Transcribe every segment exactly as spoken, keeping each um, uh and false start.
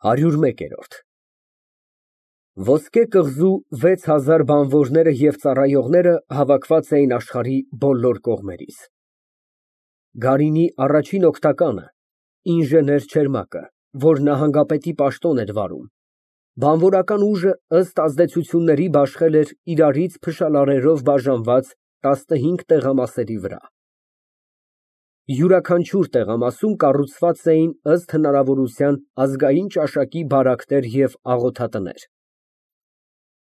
ՀԱՐՅՈՒՐՄԵԿԵՐՈՐԴ Ոսկե կղզու վեց հազար բանվորները և ծառայողները հավաքված էին աշխարհի բոլոր կողմերից. Գարինի առաջին օգնականը ֊ ինժեներ Չերմակը, որ նահանգապետի պաշտոն էր վարում, բանվորական ուժը ըստ ազդեցությունների բաշխել էր իրարից փշալարերով բաժանված տասնհինգ տեղամասերի վրա։ Յուրաքանչյուր տեղամասում կառուցված էին ըստ հնարավորության ազգային ճաշակի բարակներ և աղոթատներ։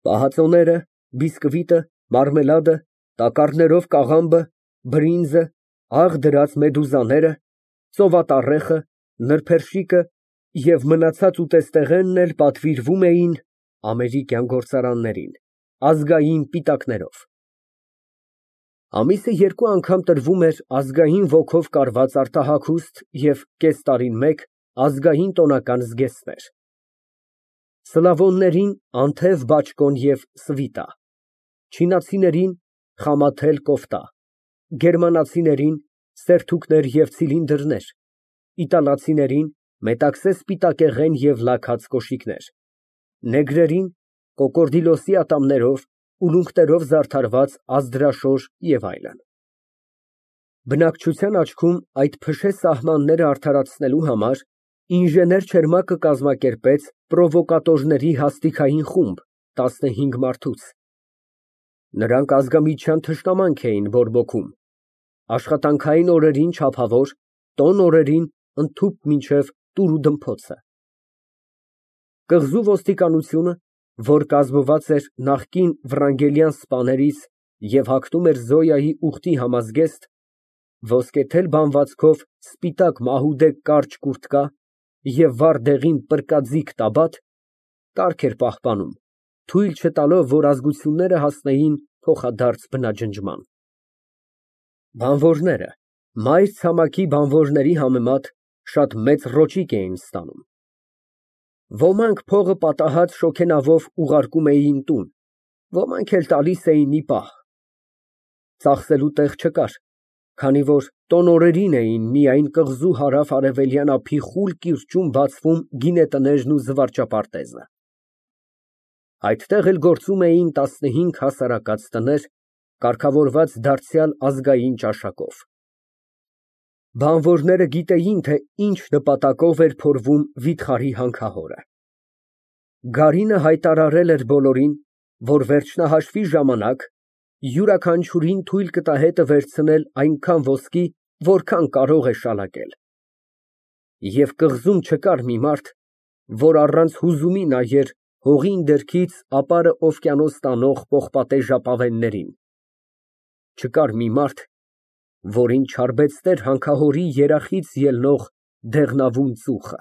Պահածոները, բիսկվիտը, մարմելադը, տակառներով կաղամբը, բրինձը, աղ դրած մեդուզաները, ծովատառեխը, նրբերշիկը և մնացած ուտեստեղենն էլ պատվիրվում էին (ամերիկյան գործարաններին) ազգային պիտակներով։ Ամիսը երկու անգամ տրվում էր ազգային ոգով կարված արտահագուստ և կես տարին մեկ ազգային տոնական զգեստներ. սլավոններին անթև բաճկոն և սվիտա, չինացիներին խամաթել կոֆտա, գերմանացիներին սերթուկներ և ցիլինդրներ, իտալացիներին մետաքսե սպիտակեղեն և լաքած կոշիկներ, նեգրերին կոկորդիլոսի ատամներով, ուլունքներով զարդարված ազդրաշոր և այլն։ Բնակչության աչքում այդ փշե սահմանները արդարացնելու համար ինժեներ Չերմակը կազմակերպեց պրովոկատորների հաստիքային խումբ տասնհինգ մարդուց։ Նրանք ազգամիջյան թշնամանք էին բորբոքում, աշխատանքային օրերին չափավոր, տոն օրերին ընդհուպ մինչև տուր ու դմփոցը։ Կղզու ոստիկանությունը, որ կազմված էր նախկին վրանգելյան սպաներից և հագնում էր Զոյայի ուղտի համազգեստ, ոսկեթել բանվածքով սպիտակ մահուդե կարճ կուրտկա և վառ դեղին պրկաձիգ տաբատ, կարգ էր պահպանում, թույլ չտալով, որ ազգությունները հասնեին փոխադարձ բնաջնջման։ Բանվորները մայր ցամաքի բանվորների համեմատ շատ մեծ ռոճիկ էին ստանում։ Ոմանք փողը պատահած շոգենավով ուղարկում էին տուն, ոմանք էլ տալիս էին ի պահ։ Ծախսելու տեղ չկար, քանի որ տոն օրերին էին միայն կղզու հարավ֊արևելյան ափի խուլ կիրճում բացվում գինետներն ու զվարճապարտեզը։ Այդտեղ էլ գործում էին տասնհինգ հասարակած տներ, կարգավորված դարձյալ ազգային ճաշակով։ Բանվորները գիտեին, թե ինչ նպատակով էր փորվում վիթխարի հանքահորը։ Գարինը հայտարարել էր բոլորին, որ վերջնահաշվի ժամանակ յուրաքանչյուրին թույլ կտա հետը վերցնել այնքան ոսկի, որքան կարող է շալակել։ Եվ կղզում չկար մի մարդ, որ առանց հուզումի նայեր հողին դերքից ապարը օվկիանոս տանող պողպատե ժապավեններին, չկար մի մարդ, որին չարբեցներ հանքահորի երախից ելնող դեղնավուն ծուխը։